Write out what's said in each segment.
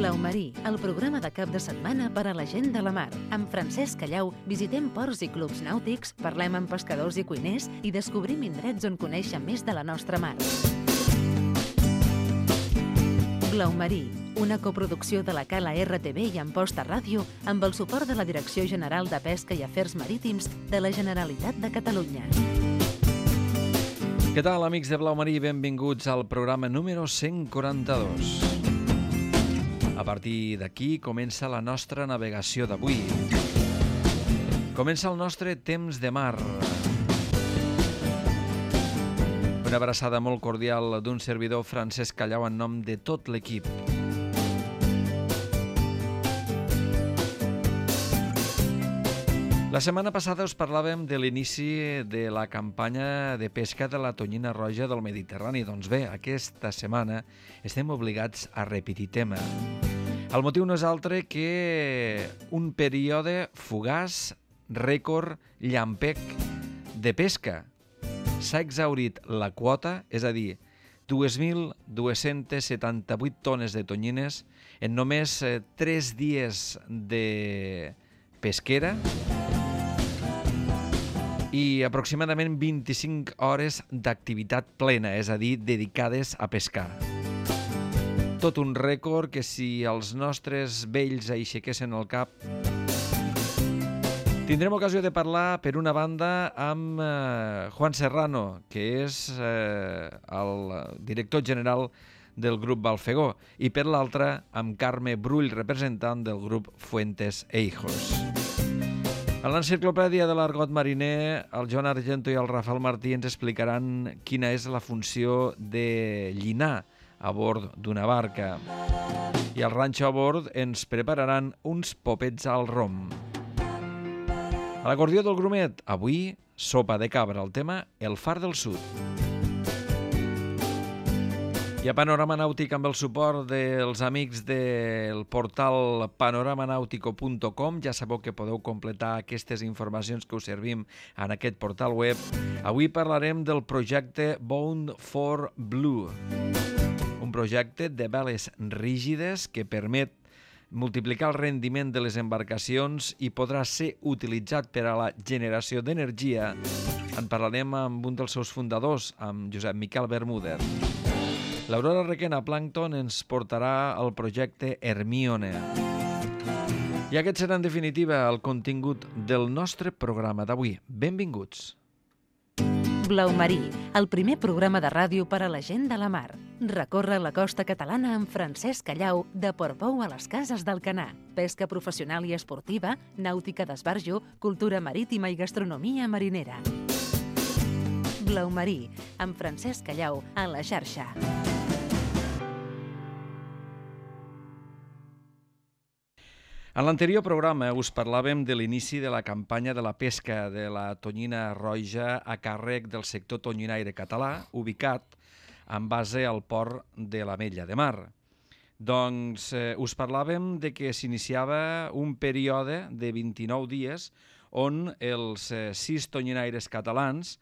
Blau Marí, el programa de cap de setmana per a la gent de la mar. Amb Francesc Callau visitem ports i clubs nàutics, parlem amb pescadors i cuiners i descobrim indrets on conèixer més de la nostra mar. Blau Marí, una coproducció de la Cala RTV i Amposta Ràdio amb el suport de la Direcció General de Pesca i Afers Marítims de la Generalitat de Catalunya. Què tal, amics de Blau Marí? Benvinguts al programa número 142. A partir d'aquí comença la nostra navegació d'avui. Comença el nostre temps de mar. Una abraçada molt cordial d'un servidor, Francesc Callau, en nom de tot l'equip. La setmana passada us parlàvem de l'inici de la campanya de pesca de la tonyina roja del Mediterrani. Doncs bé, aquesta setmana estem obligats a repetir tema. El motiu no és altre que un període fugaç, rècord, llampec de pesca. S'ha exhaurit la quota, és a dir, 2.278 tones de tonyines en només 3 dies de pesquera i aproximadament 25 hores d'activitat plena, és a dir, dedicades a pescar. Tot un rècord que si els nostres vells aixequessin el cap... Tindrem ocasió de parlar, per una banda, amb Juan Serrano, que és el director general del grup Balfegó, i per l'altra, amb Carme Brull, representant del grup Fuentes Eijos. A l'enciclopèdia de l'argot mariner, el Joan Argento i el Rafael Martí ens explicaran quina és la funció de llinar a bord d'una barca. I al ranxo a bord ens prepararan uns popets al rom. A l'acordió del grumet, avui, sopa de cabra, el tema El Far del Sud. I a Panorama Nàutic, amb el suport dels amics del portal panoramanautico.com, ja sabeu que podeu completar aquestes informacions que us servim en aquest portal web. Avui parlarem del projecte Bound for Blue, un projecte de veles rígides que permet multiplicar el rendiment de les embarcacions i podrà ser utilitzat per a la generació d'energia. En parlarem amb un dels seus fundadors, amb Josep Miquel Bermúdez. L'Aurora Requena Plàncton ens portarà al projecte Hermione. I aquest serà, en definitiva, el contingut del nostre programa d'avui. Benvinguts. Blau Marí, el primer programa de ràdio per a la gent de la mar. Recorre la costa catalana amb Francesc Callau, de Portbou a les Cases d'Alcanar. Pesca professional i esportiva, nàutica d'esbarjo, cultura marítima i gastronomia marinera. Blau Marí, amb Francesc Callau, a la xarxa. En l'anterior programa us parlàvem de l'inici de la campanya de la pesca de la tonyina roja a càrrec del sector tonyinaire català, ubicat en base al port de l'Ametlla de Mar. Doncs us parlàvem de que s'iniciava un període de 29 dies on els 6 tonyinaires catalans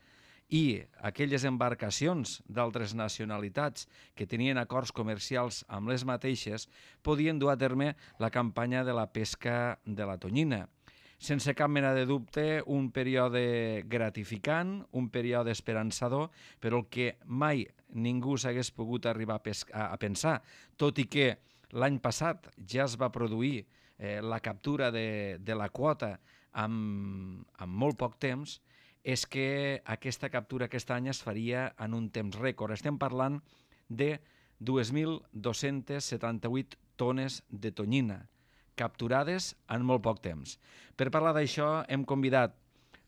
i aquelles embarcacions d'altres nacionalitats que tenien acords comercials amb les mateixes podien dur a terme la campanya de la pesca de la tonyina. Sense cap mena de dubte, un període gratificant, un període esperançador, però el que mai ningú s'hagués pogut arribar a pensar, tot i que l'any passat ja es va produir la captura de la quota amb molt poc temps, és que aquesta captura aquest any es faria en un temps rècord. Estem parlant de 2.278 tones de tonyina capturades en molt poc temps. Per parlar d'això hem convidat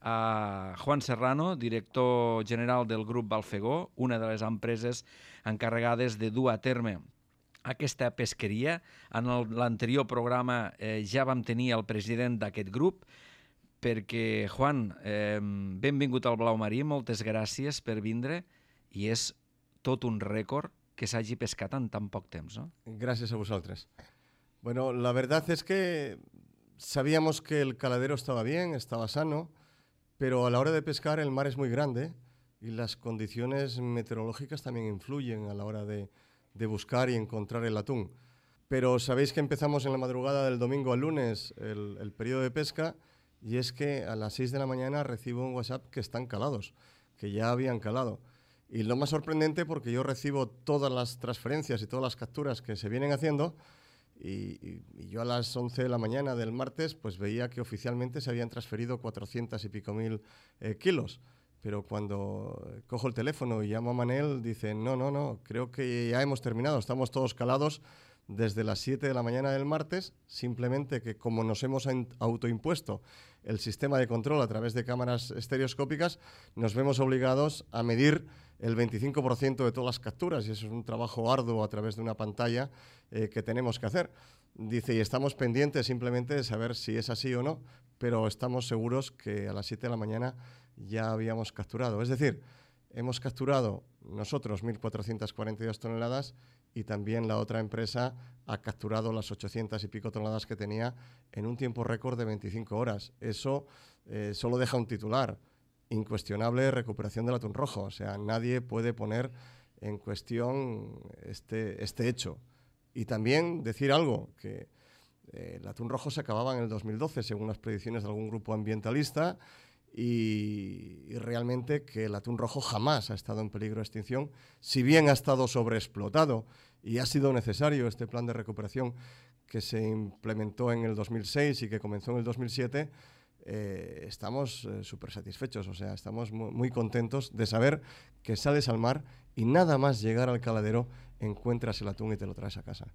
a Juan Serrano, director general del grup Balfegó, una de les empreses encarregades de dur a terme aquesta pesqueria. En l'anterior programa ja vam tenir el president d'aquest grup, perquè, Juan, benvingut al Blau Marí, moltes gràcies per vindre, i és tot un rècord que s'hagi pescat en tan poc temps, ¿no? Gracias a vosotros. Bueno, la verdad es que sabíamos que el caladero estaba bien, estaba sano, pero a la hora de pescar el mar es muy grande y las condiciones meteorológicas también influyen a la hora de buscar y encontrar el atún. Pero sabéis que empezamos en la madrugada del domingo al lunes el periodo de pesca, y es que a las 6 de la mañana recibo un WhatsApp que están calados, que ya habían calado. Y lo más sorprendente, porque yo recibo todas las transferencias y todas las capturas que se vienen haciendo, y yo a las 11 de la mañana del martes pues veía que oficialmente se habían transferido 400 y pico mil kilos. Pero cuando cojo el teléfono y llamo a Manel, dice, no, creo que ya hemos terminado, estamos todos calados desde las 7 de la mañana del martes, simplemente que como nos hemos autoimpuesto el sistema de control a través de cámaras estereoscópicas, nos vemos obligados a medir el 25% de todas las capturas, y eso es un trabajo arduo a través de una pantalla que tenemos que hacer. Dice, y estamos pendientes simplemente de saber si es así o no, pero estamos seguros que a las 7 de la mañana ya habíamos capturado. Es decir, hemos capturado nosotros 1.442 toneladas y también la otra empresa ha capturado las 800 y pico toneladas que tenía en un tiempo récord de 25 horas. Eso solo deja un titular: incuestionable recuperación del atún rojo. O sea, nadie puede poner en cuestión este hecho. Y también decir algo, que el atún rojo se acababa en el 2012, según las predicciones de algún grupo ambientalista, y realmente que el atún rojo jamás ha estado en peligro de extinción, si bien ha estado sobreexplotado y ha sido necesario este plan de recuperación que se implementó en el 2006 y que comenzó en el 2007. Estamos súper satisfechos, o sea, estamos muy contentos de saber que sales al mar y nada más llegar al caladero encuentras el atún y te lo traes a casa.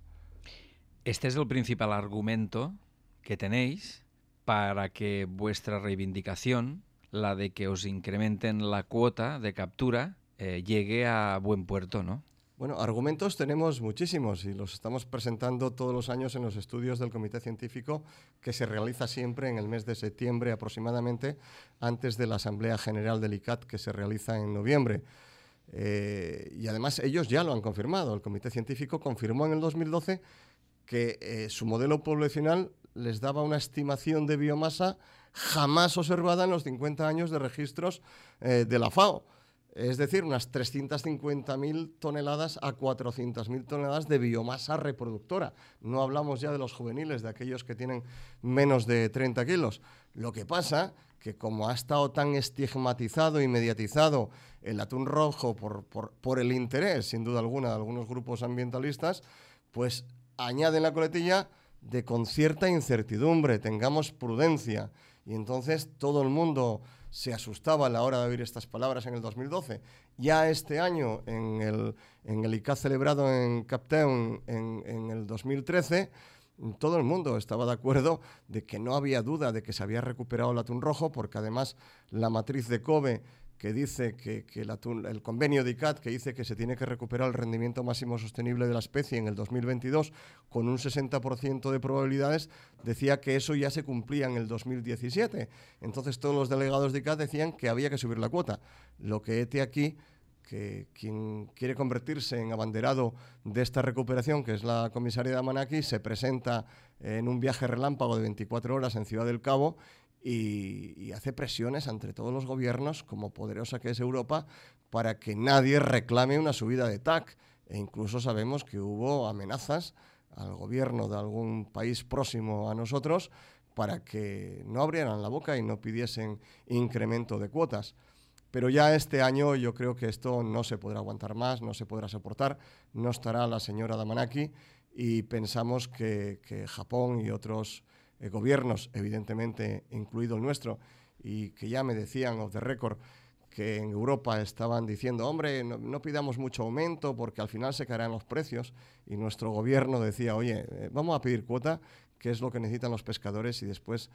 Este es el principal argumento que tenéis para que vuestra reivindicación, la de que os incrementen la cuota de captura, llegue a buen puerto, ¿no? Bueno, argumentos tenemos muchísimos y los estamos presentando todos los años en los estudios del Comité Científico, que se realiza siempre en el mes de septiembre aproximadamente, antes de la Asamblea General del ICCAT, que se realiza en noviembre. Y además ellos ya lo han confirmado. El Comité Científico confirmó en el 2012 que su modelo poblacional les daba una estimación de biomasa jamás observada en los 50 años de registros de la FAO. Es decir, unas 350.000 toneladas a 400.000 toneladas de biomasa reproductora. No hablamos ya de los juveniles, de aquellos que tienen menos de 30 kilos. Lo que pasa que como ha estado tan estigmatizado y mediatizado el atún rojo por el interés, sin duda alguna, de algunos grupos ambientalistas, pues añaden la coletilla de con cierta incertidumbre, tengamos prudencia. Y entonces todo el mundo se asustaba a la hora de oír estas palabras en el 2012. Ya este año, en el ICCAT celebrado en Cape Town en el 2013, todo el mundo estaba de acuerdo de que no había duda de que se había recuperado el atún rojo, porque además la matriz de Kobe, que dice que el convenio de ICCAT, que dice que se tiene que recuperar el rendimiento máximo sostenible de la especie en el 2022 con un 60% de probabilidades, decía que eso ya se cumplía en el 2017. Entonces todos los delegados de ICCAT decían que había que subir la cuota. Lo que hete aquí, que quien quiere convertirse en abanderado de esta recuperación, que es la comisaria Damanaki, se presenta en un viaje relámpago de 24 horas en Ciudad del Cabo y hace presiones ante todos los gobiernos, como poderosa que es Europa, para que nadie reclame una subida de TAC. E incluso sabemos que hubo amenazas al gobierno de algún país próximo a nosotros para que no abrieran la boca y no pidiesen incremento de cuotas. Pero ya este año yo creo que esto no se podrá aguantar más, no se podrá soportar, no estará la señora Damanaki, y pensamos que Japón y otros gobiernos, evidentemente incluido el nuestro, y que ya me decían off the record que en Europa estaban diciendo, hombre, no pidamos mucho aumento porque al final se caerán los precios, y nuestro gobierno decía, oye, vamos a pedir cuota, que es lo que necesitan los pescadores, y después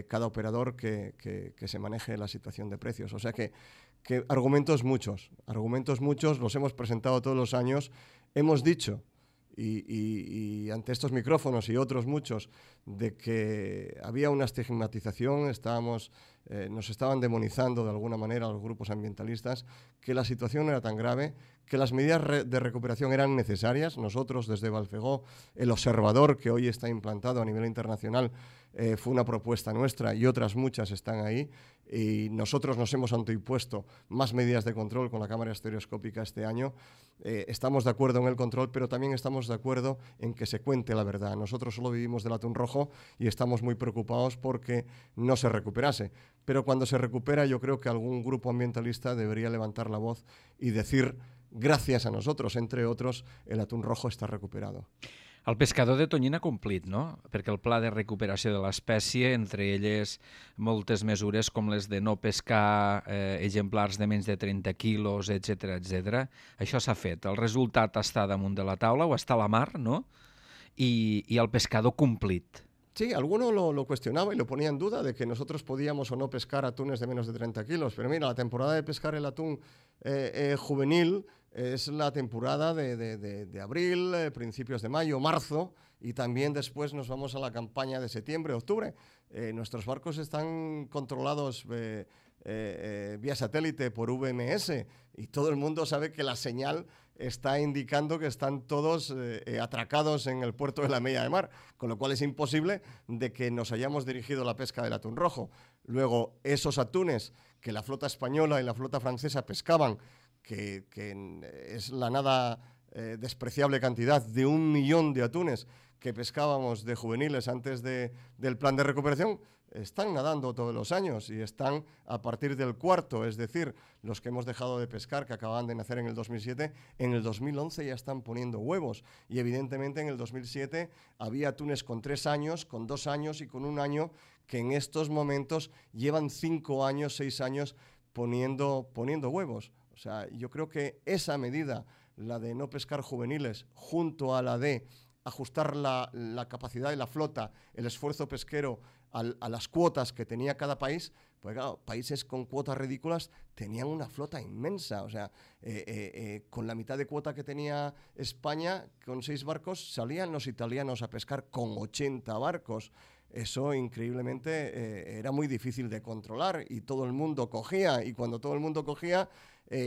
cada operador que se maneje la situación de precios. O sea que argumentos muchos, los hemos presentado todos los años, hemos dicho, y ante estos micrófonos y otros muchos, de que había una estigmatización, nos estaban demonizando de alguna manera los grupos ambientalistas, que la situación era tan grave, que las medidas de recuperación eran necesarias. Nosotros desde Balfegó, el observador que hoy está implantado a nivel internacional, fue una propuesta nuestra y otras muchas están ahí. Y nosotros nos hemos autoimpuesto más medidas de control con la cámara estereoscópica este año. Estamos de acuerdo en el control, pero también estamos de acuerdo en que se cuente la verdad. Nosotros solo vivimos del atún rojo y estamos muy preocupados porque no se recuperase. Pero cuando se recupera, yo creo que algún grupo ambientalista debería levantar la voz y decir, gracias a nosotros, entre otros, el atún rojo está recuperado. El pescador de tonyina ha complit, no? Perquè el pla de recuperació de l'espècie, entre elles moltes mesures com les de no pescar exemplars de menys de 30 quilos, etc., això s'ha fet. El resultat està damunt de la taula o està a la mar, no? I el pescador complit. Sí, alguno lo cuestionaba y lo ponía en duda de que nosotros podíamos o no pescar atunes de menos de 30 kilos. Pero mira, la temporada de pescar el atún juvenil es la temporada de abril, principios de mayo, marzo, y también después nos vamos a la campaña de septiembre, octubre. Nuestros barcos están controlados vía satélite por VMS y todo el mundo sabe que la señal está indicando que están todos atracados en el puerto de la Media de Mar, con lo cual es imposible de que nos hayamos dirigido a la pesca del atún rojo. Luego, esos atunes que la flota española y la flota francesa pescaban, que es la nada despreciable cantidad de 1 millón de atunes que pescábamos de juveniles antes del plan de recuperación, están nadando todos los años y están a partir del cuarto, es decir, los que hemos dejado de pescar, que acababan de nacer en el 2007, en el 2011 ya están poniendo huevos. Y evidentemente en el 2007 había atunes con 3 años, con 2 años y con 1 año, que en estos momentos llevan 5 años, 6 años poniendo huevos. O sea, yo creo que esa medida, la de no pescar juveniles, junto a la de ajustar la capacidad de la flota, el esfuerzo pesquero a las cuotas que tenía cada país, pues claro, países con cuotas ridículas tenían una flota inmensa. O sea, con la mitad de cuota que tenía España, con 6 barcos, salían los italianos a pescar con 80 barcos. Eso increíblemente era muy difícil de controlar y todo el mundo cogía, y cuando todo el mundo cogía,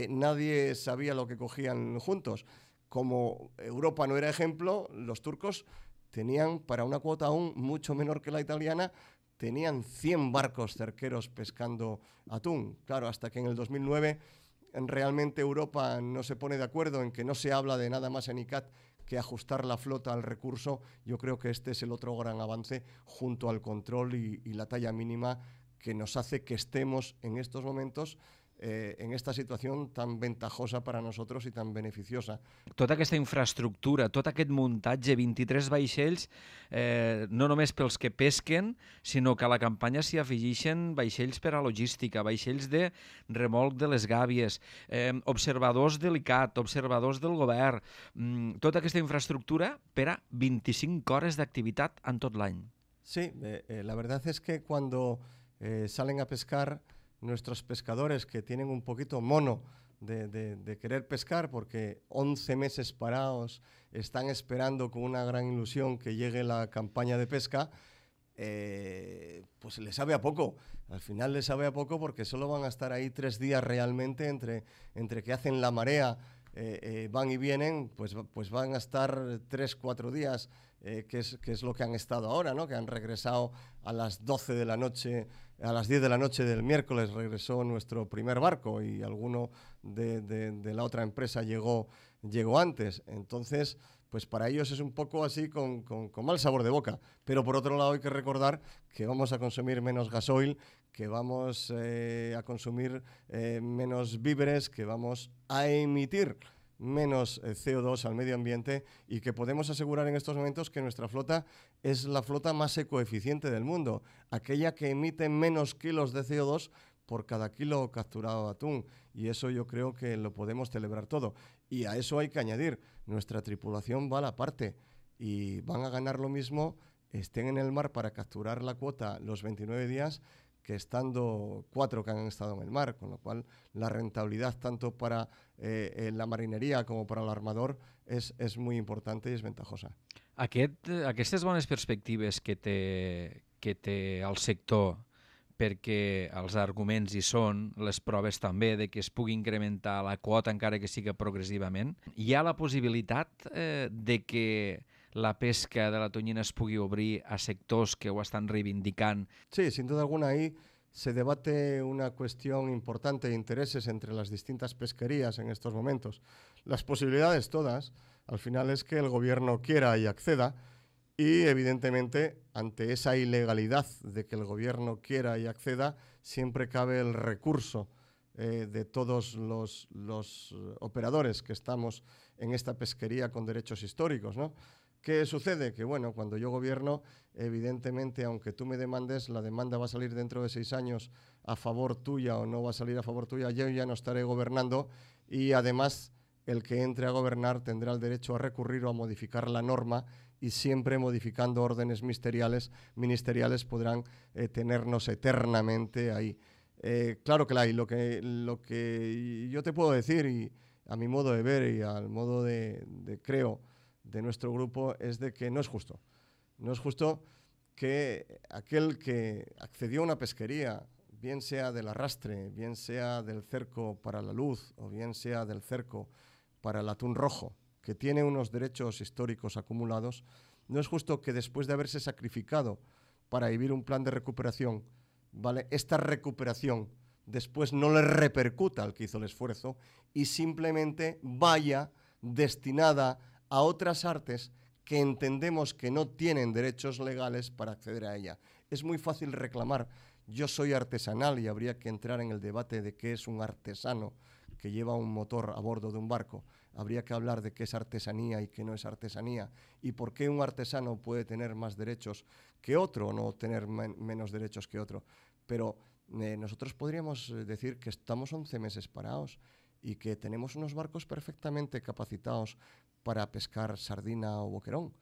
nadie sabía lo que cogían juntos. Como Europa no era ejemplo, los turcos tenían, para una cuota aún mucho menor que la italiana, tenían 100 barcos cerqueros pescando atún. Claro, hasta que en el 2009 realmente Europa no se pone de acuerdo en que no se habla de nada más en ICCAT que ajustar la flota al recurso. Yo creo que este es el otro gran avance junto al control y la talla mínima que nos hace que estemos en estos momentos en esta situació tan ventajosa per a nosaltres i tan beneficiosa. Tota aquesta infraestructura, tot aquest muntatge, 23 vaixells, no només pels que pesquen, sinó que a la campanya s'hi afegeixen vaixells per a logística, vaixells de remolc de les gàbies, observadors de l'ICCAT, observadors del govern, tota aquesta infraestructura per a 25 hores d'activitat en tot l'any. Sí, la verdad es que cuando salen a pescar nuestros pescadores que tienen un poquito mono de querer pescar porque 11 meses parados están esperando con una gran ilusión que llegue la campaña de pesca, pues les sabe a poco. Al final les sabe a poco porque solo van a estar ahí 3 días realmente entre que hacen la marea, van y vienen, pues van a estar 3-4 días, que es lo que han estado ahora, ¿no? Que han regresado a las 12 de la noche, a las 10 de la noche del miércoles regresó nuestro primer barco y alguno de la otra empresa llegó antes. Entonces, pues para ellos es un poco así con mal sabor de boca. Pero por otro lado hay que recordar que vamos a consumir menos gasoil, que vamos a consumir menos víveres, que vamos a emitir menos CO2 al medio ambiente y que podemos asegurar en estos momentos que nuestra flota es la flota más ecoeficiente del mundo, aquella que emite menos kilos de CO2 por cada kilo capturado de atún, y eso yo creo que lo podemos celebrar todo. Y a eso hay que añadir, nuestra tripulación va a la parte y van a ganar lo mismo, estén en el mar para capturar la cuota los 29 días, que estando 4 que han estado en el mar, con lo cual la rentabilidad tanto para la marinería com per a l'armador és molt important i és ventajosa. Aquestes bones perspectives que té el sector, perquè els arguments hi són, les proves també, de que es pugui incrementar la quota encara que siga progressivament, hi ha la possibilitat de que la pesca de la tonyina es pugui obrir a sectors que ho estan reivindicant? Sí, sin duda alguna ahí se debate una cuestión importante de intereses entre las distintas pesquerías en estos momentos. Las posibilidades todas, al final, es que el gobierno quiera y acceda, y evidentemente ante esa ilegalidad de que el gobierno quiera y acceda, siempre cabe el recurso de todos los operadores que estamos en esta pesquería con derechos históricos, ¿no? ¿Qué sucede? Que bueno, cuando yo gobierno, evidentemente, aunque tú me demandes, la demanda va a salir dentro de 6 años a favor tuya o no va a salir a favor tuya, yo ya no estaré gobernando, y además el que entre a gobernar tendrá el derecho a recurrir o a modificar la norma, y siempre modificando órdenes ministeriales podrán tenernos eternamente ahí. Claro que la hay. Lo que yo te puedo decir, y a mi modo de ver y al modo creo, de nuestro grupo, es de que no es justo. No es justo que aquel que accedió a una pesquería, bien sea del arrastre, bien sea del cerco para la luz o bien sea del cerco para el atún rojo, que tiene unos derechos históricos acumulados, no es justo que después de haberse sacrificado para vivir un plan de recuperación, ¿vale?, esta recuperación después no le repercuta al que hizo el esfuerzo y simplemente vaya destinada a otras artes que entendemos que no tienen derechos legales para acceder a ella. Es muy fácil reclamar, yo soy artesanal, y habría que entrar en el debate de qué es un artesano que lleva un motor a bordo de un barco. Habría que hablar de qué es artesanía y qué no es artesanía, y por qué un artesano puede tener más derechos que otro o no tener menos derechos que otro. Pero nosotros podríamos decir que estamos 11 meses parados y que tenemos unos barcos perfectamente capacitados para pescar sardina o boquerón,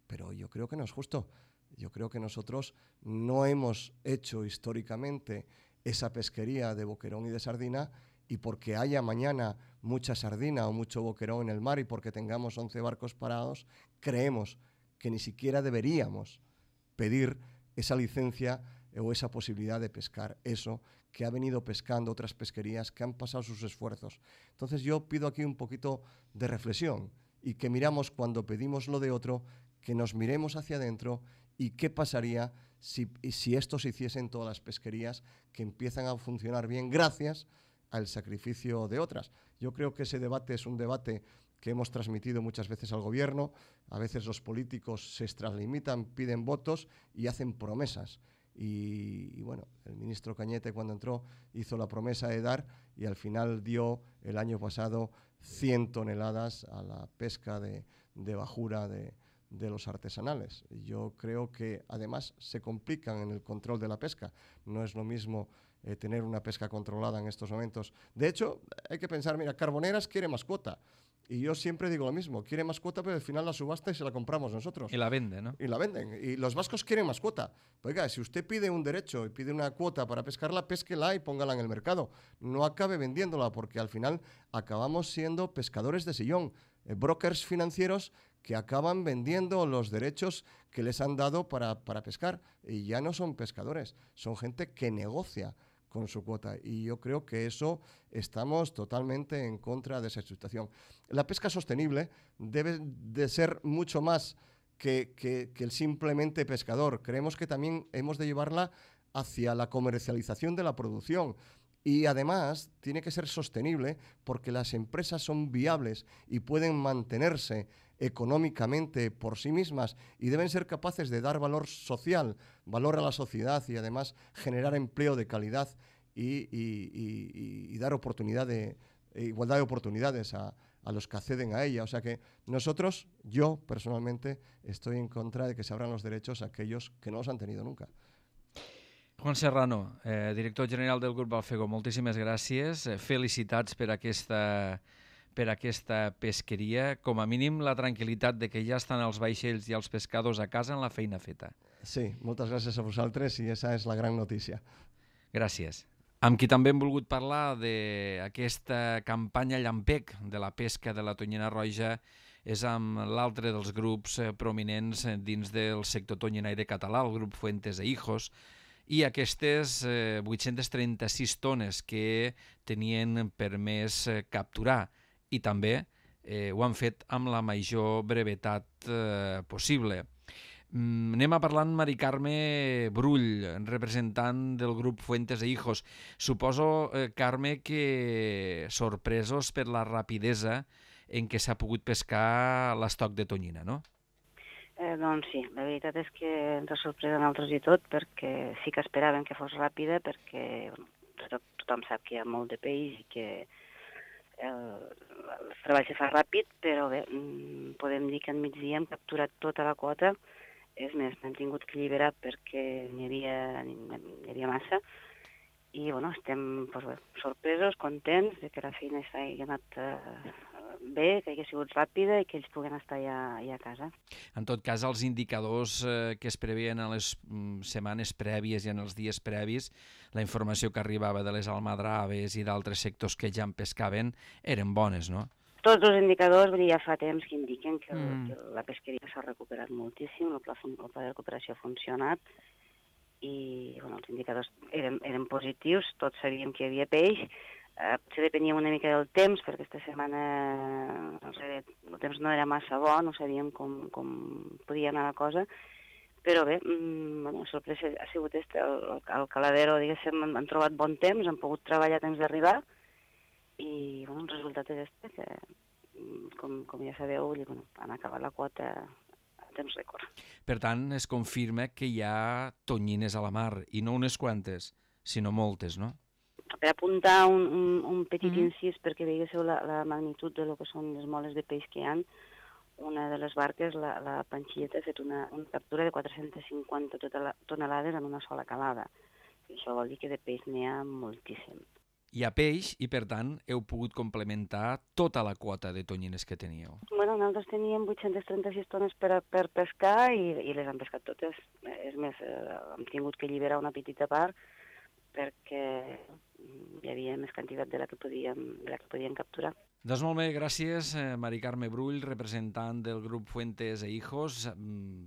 pero yo creo que no es justo. Yo creo que nosotros no hemos hecho históricamente esa pesquería de boquerón y de sardina, y porque haya mañana mucha sardina o mucho boquerón en el mar y porque tengamos 11 barcos parados, creemos que ni siquiera deberíamos pedir esa licencia o esa posibilidad de pescar eso que ha venido pescando otras pesquerías que han pasado sus esfuerzos. Entonces yo pido aquí un poquito de reflexión, y que miramos, cuando pedimos lo de otro, que nos miremos hacia adentro y qué pasaría si esto se hiciese en todas las pesquerías que empiezan a funcionar bien gracias al sacrificio de otras. Yo creo que ese debate es un debate que hemos transmitido muchas veces al gobierno. A veces los políticos se extralimitan, piden votos y hacen promesas. Y bueno, el ministro Cañete, cuando entró, hizo la promesa de dar, y al final dio el año pasado 100 toneladas a la pesca de bajura de los artesanales. Yo creo que además se complican en el control de la pesca. No es lo mismo tener una pesca controlada en estos momentos. De hecho, hay que pensar, mira, Carboneras quiere más cuota. Y yo siempre digo lo mismo, quiere más cuota, pero al final la subasta y se la compramos nosotros. Y la vende, ¿no? Y la venden. Y los vascos quieren más cuota. Oiga, si usted pide un derecho y pide una cuota para pescarla, pésquela y póngala en el mercado. No acabe vendiéndola, porque al final acabamos siendo pescadores de sillón, brokers financieros que acaban vendiendo los derechos que les han dado para pescar. Y ya no son pescadores, son gente que negocia con su cuota, y yo creo que eso estamos totalmente en contra de esa situación. La pesca sostenible debe de ser mucho más que el simplemente pescador. Creemos que también hemos de llevarla hacia la comercialización de la producción, y además tiene que ser sostenible porque las empresas son viables y pueden mantenerse económicamente por sí mismas, y deben ser capaces de dar valor social, valor a la sociedad, y además generar empleo de calidad y dar igualdad de oportunidades a los que acceden a ella. O sea que nosotros, yo personalmente, estoy en contra de que se abran los derechos a aquellos que no los han tenido nunca. Juan Serrano, director general del Grup Alfego, moltíssimes gràcies. Felicitats per aquesta pesqueria. Com a mínim, la tranquil·litat de que ja estan els vaixells i els pescadors a casa en la feina feta. Sí, moltes gràcies a vosaltres, i esa és la gran notícia. Gràcies. Amb qui també hem volgut parlar d'aquesta campanya llampec de la pesca de la tonyina roja és amb l'altre dels grups prominents dins del sector tonyinaire català, el grup Fuentes e Hijos, i aquestes 836 tones que tenien permès capturar, i també ho han fet amb la major brevetat possible. Anem a parlar amb Mari Carme Brull, representant del grup Fuentes e Hijos. Suposo, Carme, que sorpresos per la rapidesa en què s'ha pogut pescar l'estoc de tonyina, no? Doncs sí, la veritat és que ens ha sorprès a nosaltres i tot, perquè sí que esperàvem que fos ràpida, perquè tothom sap que hi ha molt de peix i que el treball se fa ràpid, però bé, podem dir que al migdia hem capturat tota la quota. És més, n'hem tingut que alliberar perquè n'hi havia massa. I bueno, estem sorpresos, contents de que la feina hagi anat bé, que hagi sigut ràpida i que ells puguen estar ja a casa. En tot cas, els indicadors que es preveien en les setmanes prèvies i en els dies previs, la informació que arribava de les almadraves i d'altres sectors que ja en pescaven, eren bones, no? Tots els indicadors ja fa temps que indiquen que la pesqueria s'ha recuperat moltíssim, el pla de recuperació ha funcionat i bueno, els indicadors eren positius, tots sabíem que hi havia peix. Potser depenia una mica del temps, perquè aquesta setmana el temps no era massa bo, no sabíem com podia anar la cosa, però bé, la sorpresa ha sigut el caladero, diguéssim, han trobat bon temps, han pogut treballar a temps d'arribar, i bueno, el resultat és que, com ja sabeu, han acabat la quota a temps rècord. Per tant, es confirma que hi ha tonyines a la mar, i no unes quantes, sinó moltes, no? Per apuntar un petit incís, perquè veiéssiu la magnitud de lo que són les moles de peix que hi ha, una de les barques, la Panxilleta, ha fet una captura de 450 tonelades en una sola calada. I això vol dir que de peix n'hi ha moltíssim. Hi ha peix i, per tant, heu pogut complementar tota la quota de tonyines que teníeu. Bueno, nosaltres teníem 836 tones per pescar i les han pescat totes. És més, hem tingut que alliberar una petita part perquè hi havia més quantitat de la que podíem capturar. Doncs molt bé, gràcies, Mari Carme Brull, representant del grup Fuentes e Hijos,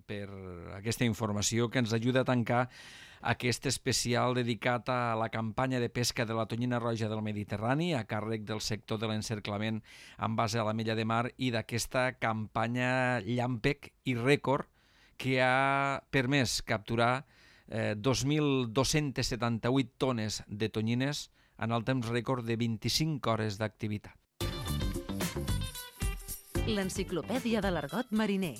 per aquesta informació que ens ajuda a tancar aquest especial dedicat a la campanya de pesca de la tonyina roja del Mediterrani, a càrrec del sector de l'encerclament en base a la mella de mar i d'aquesta campanya llampec i rècord que ha permès capturar 2.278 tones de tonyines en el temps rècord de 25 hores d'activitat. L'enciclopèdia de l'argot mariner.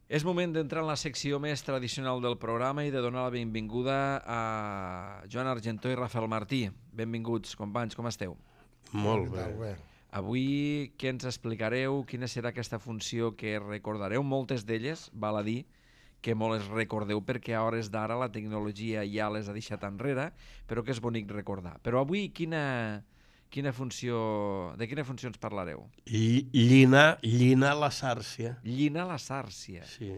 És moment d'entrar en la secció més tradicional del programa i de donar la benvinguda a Joan Argentó i Rafael Martí. Benvinguts, companys, com esteu? Molt bé. Avui, què ens explicareu? Quina serà aquesta funció que recordareu? Moltes d'elles, val a dir, que molt les recordeu perquè a hores d'ara la tecnologia ja les ha deixat enrere, però que és bonic recordar. Però avui, de quina funció ens parlareu? Llinar la sàrcia. Llinar la sàrcia. Sí.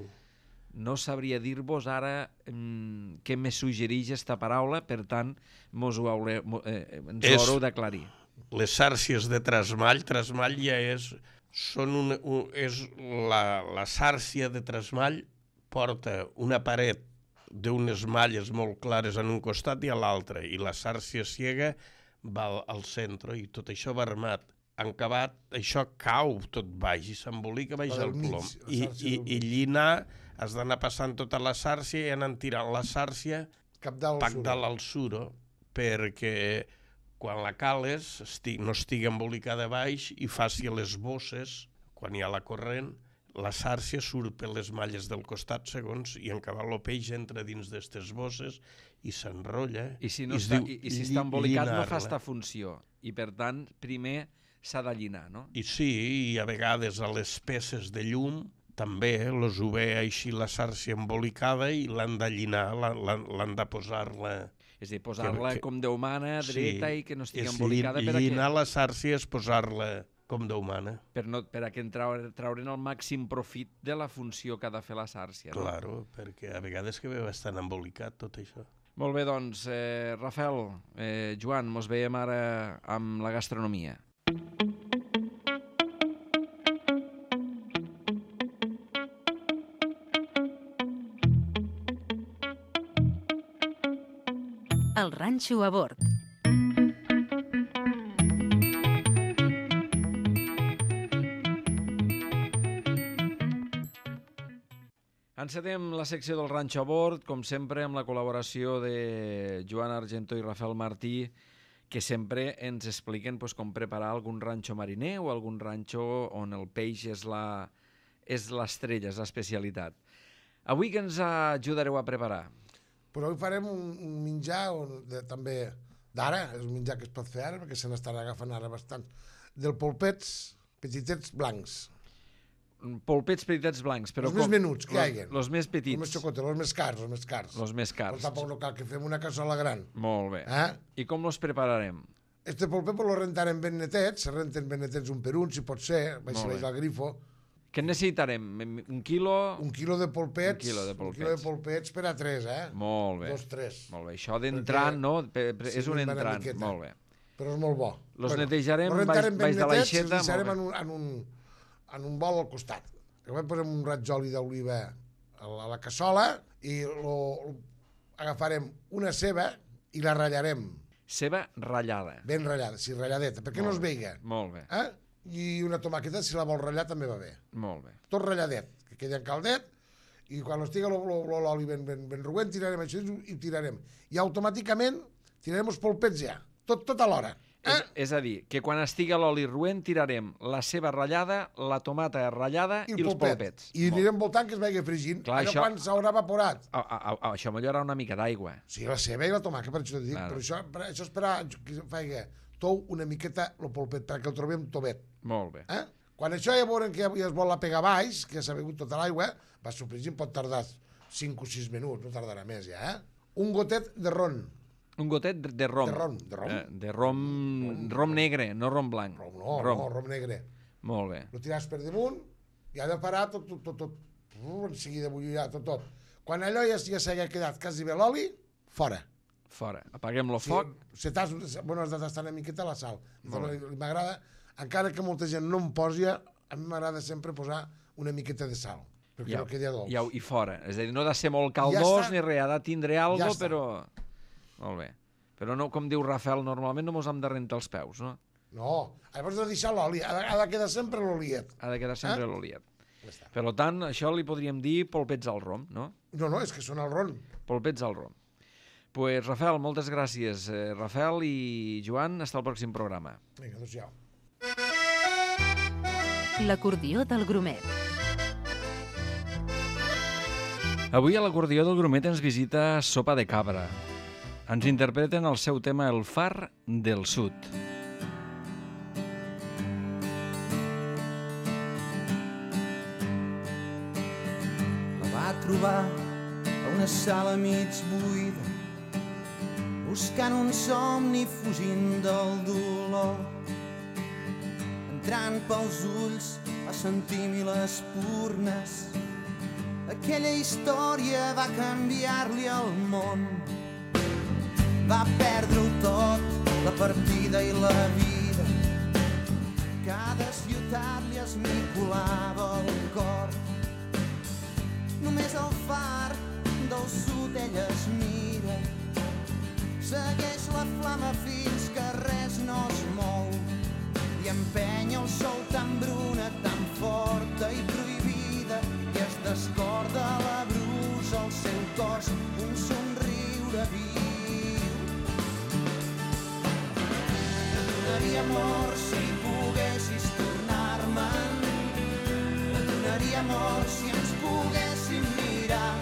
No sabria dir-vos ara què me suggereix aquesta paraula, per tant, ens ho haureu d'aclarir. Les sàrcies de trasmall ja és la sàrcia de trasmall porta una paret d'unes malles molt clares en un costat i a l'altre, i la sàrcia ciega va al centre, i tot això va armat. En acabat, això cau tot baix i s'embolica baix el plom. I llinar, has d'anar passant tota la sàrcia i anar tirant la sàrcia cap dalt al suro, perquè quan la cales no estigui embolicada baix i faci les bosses, quan hi ha la corrent, la sàrcia surt per les malles del costat segons, i en acabat el peix entra dins d'aquestes bosses i s'enrotlla. I si està embolicat no fa esta funció, i per tant primer s'ha de llinar, no? I sí, i a vegades a les peces de llum també els ho ve així la sàrcia embolicada i l'han de llinar, l'han de posar-la... És a dir, posar-la com Déu mana, dreta, i que no estigui embolicada. Llinar la sàrcia és posar-la com Déu mana. Per a que traure'n el màxim profit de la funció que ha de fer la sàrcia. Claro, perquè a vegades que ve bastant embolicat tot això. Molt bé, doncs, Rafael, Joan, mos veiem ara amb la gastronomia. El ranxo a bord. Encetem la secció del Ranxo a Bord, com sempre, amb la col·laboració de Joan Argentó i Rafael Martí, que sempre ens expliquen com preparar algun ranxo mariner o algun ranxo on el peix és l'estrella, és l'especialitat. Avui què ens ajudareu a preparar? Però avui farem un menjar també d'ara, és un menjar que es pot fer ara, perquè se n'estan agafant ara bastant, del polpets petitets blancs. Polpets petitets blancs, però els més menuts que hi hagi. Els més petits. Els més xocotes, els més cars. Els més cars. Però tampoc no cal que fem una cassola gran. Molt bé. I com els prepararem? Este polpet lo rentarem ben netets, se renten ben netets un per un, si pot ser, si veig al grifo. Què necessitarem? Un quilo? Un quilo de polpets. Un quilo de polpets per a 3, Molt bé. 2, 3. Molt bé. Això d'entrant, no? És un entrant. Molt bé. Però és molt bo. Los netejarem baix de l'aixeta. Els deixarem en un bol al costat. Llavors posem un raig d'oli d'oliva a la cassola i agafarem una ceba i la ratllarem. Ceba ratllada. Ben ratllada, sí, ratlladeta, perquè no es veiga. Molt bé. I una tomàqueta, si la vol ratllar, també va bé. Molt bé. Tot ratlladet, que quedi en caldet, i quan estigui l'oli ben roent, tirarem això i tirarem. I automàticament tirarem els polpets ja, tot alhora. És a dir, que quan estigui l'oli roent tirarem la ceba ratllada, la tomata ratllada i els polpets. I anirem voltant que es vagi fregint. Clar, allò quan s'haurà evaporat. Això millorarà una mica d'aigua. Sí, la ceba i la tomata, per això dic. Però això és per que faci tou una miqueta el polpet, perquè el trobem tovet. Molt bé. Quan això ja veurem que ja es vol la pegar baix, que ja s'ha begut tota l'aigua, va sofregint, pot tardar 5 o 6 minuts, no tardarà més ja. Un gotet de ron. Un gotet de rom. De rom negre, no rom blanc. Rom negre. Molt bé. Lo tiràs per damunt i ha de parar tot. En seguida bullirà tot. Quan allò ja s'hagi quedat quasi bé l'oli, fora. Fora. Apaguem el foc. Si has de tastar una miqueta la sal. M'agrada, encara que molta gent no em posi, a mi m'agrada sempre posar una miqueta de sal. Perquè no quedi dolç. I fora. És a dir, no ha de ser molt caldós ni res, ha de tindre alguna cosa, però... Molt bé. Però no, com diu Rafael, normalment no mos hem de rentar els peus, no? No, llavors de deixar l'oli, ha de quedar sempre l'oliet. Ha de quedar sempre l'oliet. Per tant, això li podríem dir polpets al rom, no? No, és que són al ron. Polpets al rom. Pues Rafael, moltes gràcies. Rafael i Joan, hasta el pròxim programa. Vinga, doncs ja. L'acordió del Grumet. Avui a l'acordió del Grumet ens visita Sopa de Cabra. Ens interpreten el seu tema El far del sud. La va trobar a una sala mig buida, buscant un somni fugint del dolor. Entrant pels ulls va sentir mil espurnes. Aquella història va canviar-li el món. Va perdre-ho tot, la partida i la vida. Cada ciutat li esmicolava el cor. Només el far del sud ella es mira. Segueix la flama fins que res no es mou. I empenya el sol tan bruna, tan forta i prohibida, i es descorda la brusa al seu cos, un somriure viu. Et donaria amor si poguessis tornar-me'n. Et donaria amor si ens poguéssim mirar.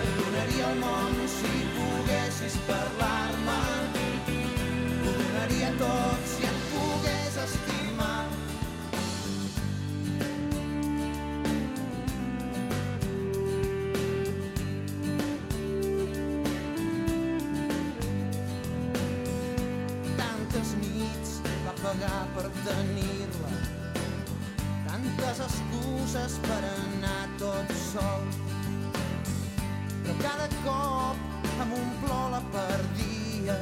Et donaria el món si poguessis parlar-me. Ho donaria tot si et pogués estimar. Pagar per tenir-la, tantes excuses per anar tot sol, però cada cop amb un plor la perdia.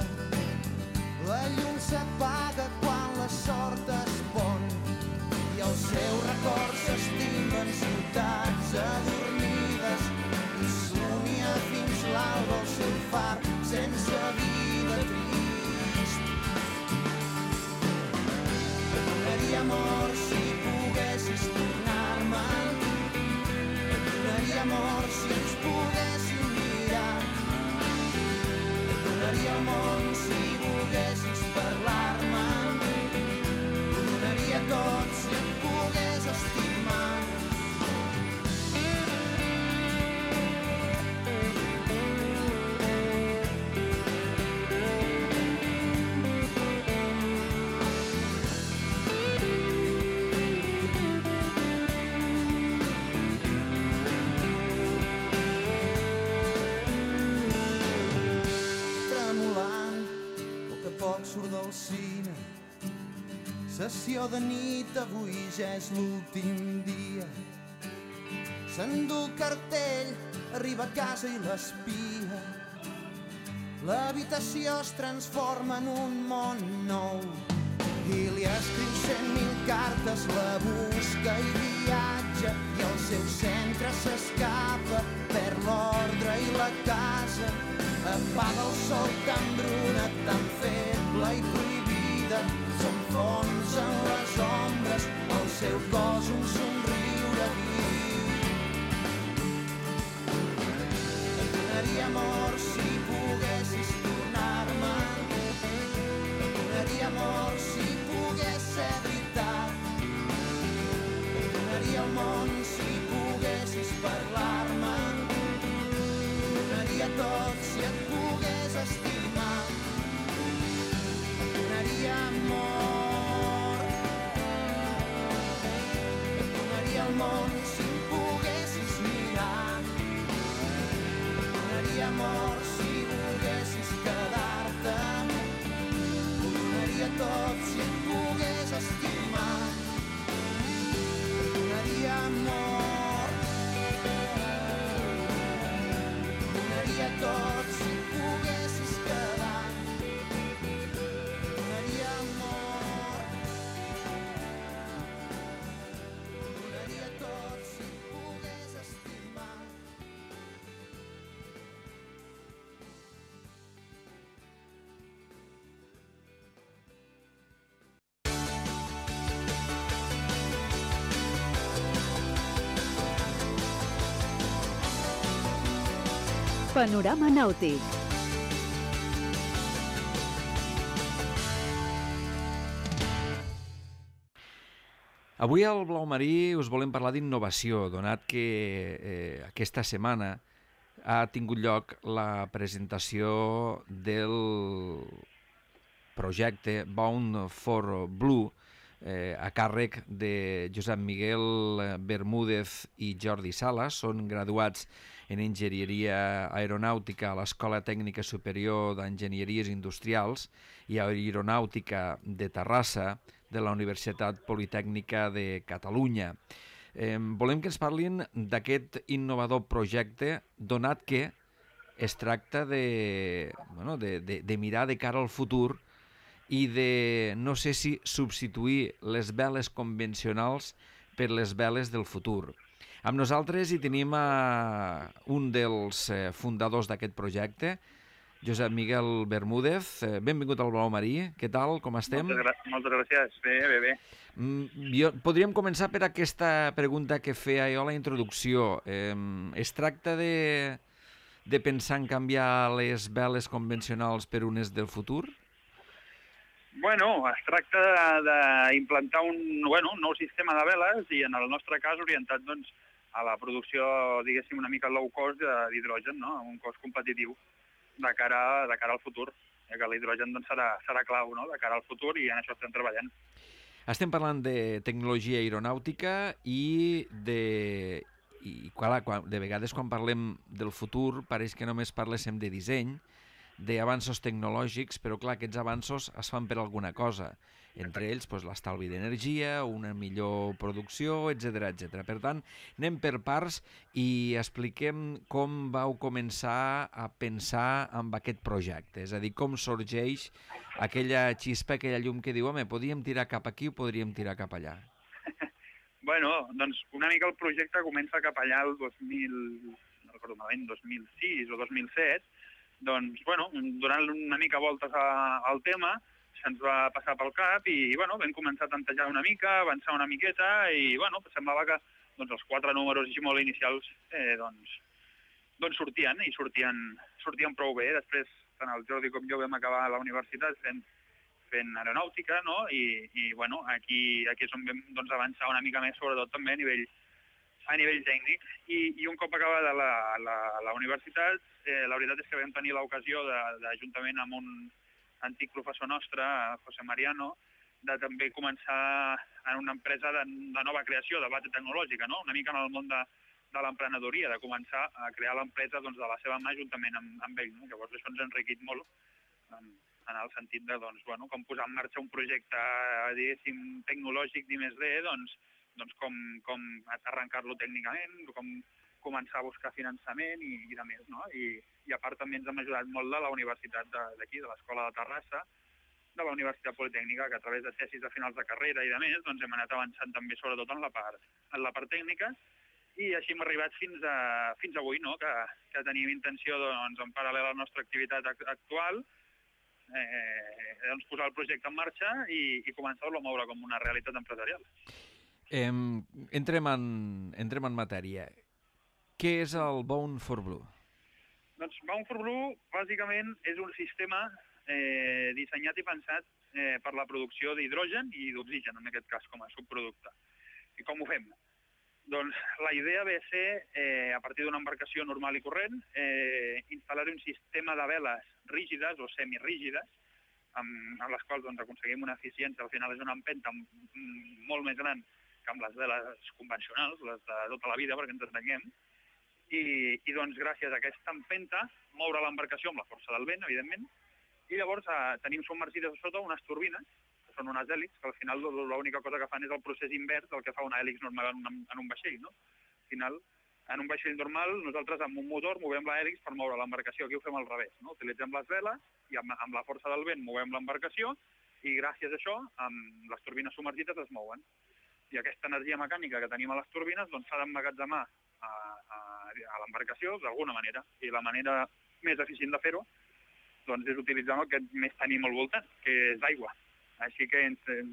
La llum s'apaga quan la sort es pon i els seus records s'estimen ciutats adormides i somia fins l'alba el seu far sense vida trist. Amor, si poguessis tornar-me'n. Et cine. Sessió de nit, avui ja és l'últim dia. S'endú el cartell, arriba a casa i l'espia. L'habitació es transforma en un món nou i li escriu 100.000 cartes, la busca i viatja i al seu centre s'escapa, perd l'ordre i la casa, apaga el sol tan bruna, tan feble i prohibida, s'enfonsa en les ombres, al seu cos un somriure viu. Et donaria amor si poguessis tornar-me, et donaria amor si pogués ser veritat, et donaria el món si poguessis parlar-me, et donaria tot si et pogués estimar, et donaria amor, et donaria el món si em poguessis mirar, et donaria amor si volguessis quedar-te, ho donaria tot si et pogués estimar, et donaria amor, ho donaria tot si et poguessis quedar, et donaria amor, ho donaria tot si et pogués estimar. Panorama nàutic. Avui al Blau Marí us volem parlar d'innovació, donat que aquesta setmana ha tingut lloc la presentació del projecte Bound for Blue a càrrec de Josep Miguel Bermúdez i Jordi Sala. Són graduats en Enginyeria Aeronàutica a l'Escola Tècnica Superior d'Enginyeries Industrials i Aeronàutica de Terrassa de la Universitat Politècnica de Catalunya. Volem que ens parlin d'aquest innovador projecte, donat que es tracta de mirar de cara al futur i de, no sé si substituir les veles convencionals per les veles del futur. Amb nosaltres hi tenim un dels fundadors d'aquest projecte, Josep Miguel Bermúdez. Benvingut al Blau Marí. Què tal? Com estem? Moltes gràcies. Bé. Podríem començar per aquesta pregunta que feia jo a la introducció. Es tracta de pensar en canviar les veles convencionals per unes del futur? Bueno, es tracta d'implantar un nou sistema de veles i en el nostre cas orientat doncs, a la producció, diguéssim, una mica low cost d'hidrogen, no? Un cost competitiu de cara al futur, que l'hidrogen doncs, serà clau, no? De cara al futur, i en això estem treballant. Estem parlant de tecnologia aeronàutica i de vegades quan parlem del futur pareix que només parléssim de disseny, d'avanços tecnològics, però clar, aquests avanços es fan per alguna cosa. Entre ells, l'estalvi d'energia, una millor producció, etc. Per tant, anem per parts i expliquem com vau començar a pensar en aquest projecte. És a dir, com sorgeix aquella xispa, aquella llum que diu, home, podríem tirar cap aquí o podríem tirar cap allà? Bueno, doncs una mica el projecte comença cap allà el 2006 o 2007, doncs, donant una mica voltes al tema, se'ns va passar pel cap i, vam començar a tantejar una mica, avançar una miqueta i, semblava que els 4 números així molt inicials, sortien i sortien prou bé. Després, tant el Jordi com jo vam acabar a la universitat fent aeronàutica, no? I aquí és on vam avançar una mica més, sobretot també a nivell tècnic. I un cop acabada la universitat, la veritat és que vam tenir l'ocasió juntament amb un antic professor nostre, José Mariano, de també començar en una empresa de nova creació, de base tecnològica, no? Una mica en el món de l'emprenedoria, de començar a crear l'empresa de la seva mà juntament amb ell. No? Llavors això ens ha enriquit molt en el sentit de, doncs, bueno, com posar en marxa un projecte, diguéssim, tecnològic d'I+D, doncs com arrencar-lo tècnicament, com començar a buscar finançament i de més, no? I a part també ens hem ajudat molt de la universitat d'aquí, de l'Escola de Terrassa, de la Universitat Politècnica, que a través de tesis de finals de carrera i de més, doncs hem anat avançant també sobretot en la part tècnica, i així hem arribat fins avui, no? Que tenim intenció, doncs, en paral·lel a la nostra activitat actual, doncs posar el projecte en marxa i començar-lo a moure com una realitat empresarial. Entrem en matèria. Què és el Bound4Blue? Doncs Bound4Blue, bàsicament, és un sistema dissenyat i pensat per la producció d'hidrogen i d'oxigen, en aquest cas, com a subproducte. I com ho fem? Doncs la idea ve a ser, a partir d'una embarcació normal i corrent, instal·lar un sistema de veles rígides o semirígides, amb les quals doncs, aconseguim una eficiència, al final és una empenta molt més gran que amb les veles convencionals, les de tota la vida, perquè ens entenguem, i doncs gràcies a aquesta empenta moure l'embarcació amb la força del vent, evidentment, i llavors tenim submergides a sota unes turbines, que són unes hèlixs, que al final l'única cosa que fan és el procés invers del que fa una hèlix normal en un vaixell, no? Al final, en un vaixell normal, nosaltres amb un motor movem la hèlix per moure l'embarcació, aquí ho fem al revés, no? Utilitzem les veles i amb la força del vent movem l'embarcació i gràcies a això les turbines submergides es mouen. I aquesta energia mecànica que tenim a les turbines doncs, s'ha d'emmagatzemar a l'embarcació d'alguna manera, i la manera més eficient de fer-ho doncs, és utilitzant el que més tenim al voltant, que és aigua. Així que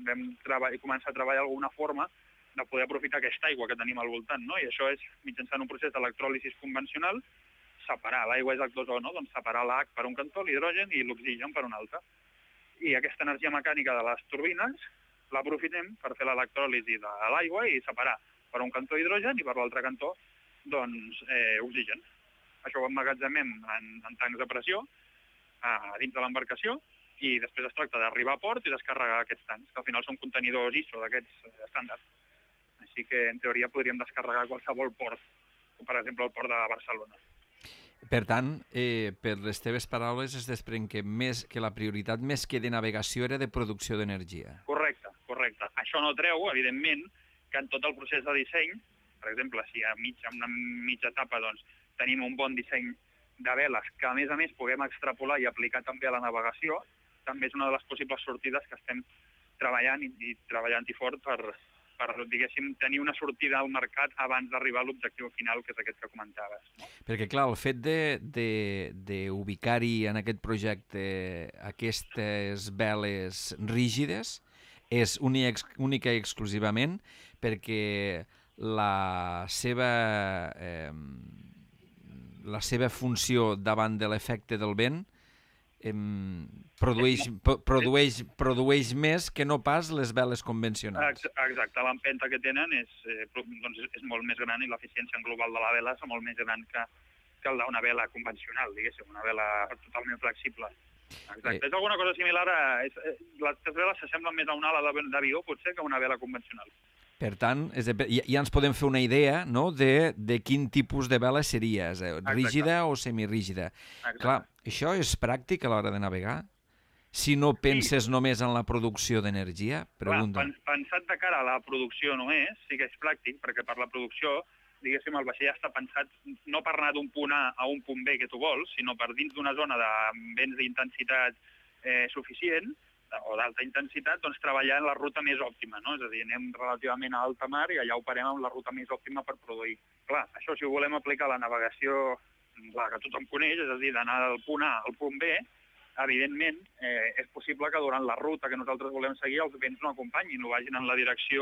vam començar a treballar alguna forma de poder aprofitar aquesta aigua que tenim al voltant, no? I això és, mitjançant un procés d'electròlisis convencional, separar l'aigua és H2O, no? Doncs separar l'H per un cantó, l'hidrogen, i l'oxigen per un altre. I aquesta energia mecànica de les turbines l'aprofitem per fer l'electròlisi de l'aigua i separar per un cantó hidrogen i per l'altre cantó doncs, oxigen. Això ho emmagatzemem en tancs de pressió dins de l'embarcació i després es tracta d'arribar a port i descarregar aquests tancs, que al final són contenidors ISO d'aquests estàndards. Així que, en teoria, podríem descarregar qualsevol port, com per exemple el port de Barcelona. Per tant, per les teves paraules es desprèn que la prioritat més que de navegació era de producció d'energia. Correcte. Això no treu, evidentment, que en tot el procés de disseny, per exemple, si en una mitja etapa doncs, tenim un bon disseny de veles que, a més, puguem extrapolar i aplicar també a la navegació, també és una de les possibles sortides que estem treballant i treballant-hi fort per, diguéssim, tenir una sortida al mercat abans d'arribar a l'objectiu final, que és aquest que comentaves. Perquè, clar, el fet d'ubicar-hi en aquest projecte aquestes veles rígides és única i exclusivament perquè la seva funció davant de l'efecte del vent produeix més que no pas les veles convencionals. Exacte, l'empenta que tenen és molt més gran i l'eficiència global de la vela és molt més gran que el d'una vela convencional, diguéssim, una vela totalment flexible. Exacte, és alguna cosa similar les veles s'assemblen més a una ala d'avió, potser, que a una vela convencional. Per tant, ja ens podem fer una idea, no?, de quin tipus de vela seria, rígida o semirígida. Clar, això és pràctic a l'hora de navegar? Si no penses només en la producció d'energia? Pregunta. Pensat de cara a la producció només, sí que és pràctic, perquè per la producció, diguéssim, el vaixell està pensat no per anar d'un punt A a un punt B que tu vols, sinó per dins d'una zona de vents d'intensitat suficient, o d'alta intensitat, doncs treballar en la ruta més òptima, no? És a dir, anem relativament a alta mar i allà operem amb la ruta més òptima per produir. Clar, això si ho volem aplicar a la navegació, la que tothom coneix, és a dir, d'anar del punt A al punt B, evidentment és possible que durant la ruta que nosaltres volem seguir els vents no acompanyin, no vagin en la direcció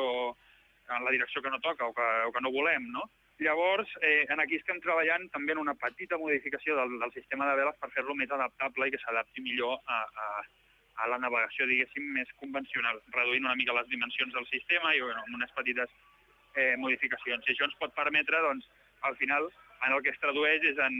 que no toca o que no volem, no? Llavors, aquí estem treballant també en una petita modificació del sistema de veles per fer-lo més adaptable i que s'adapti millor a la navegació, diguéssim, més convencional, reduint una mica les dimensions del sistema i amb unes petites modificacions. I això ens pot permetre, doncs, al final, en el que es tradueix és en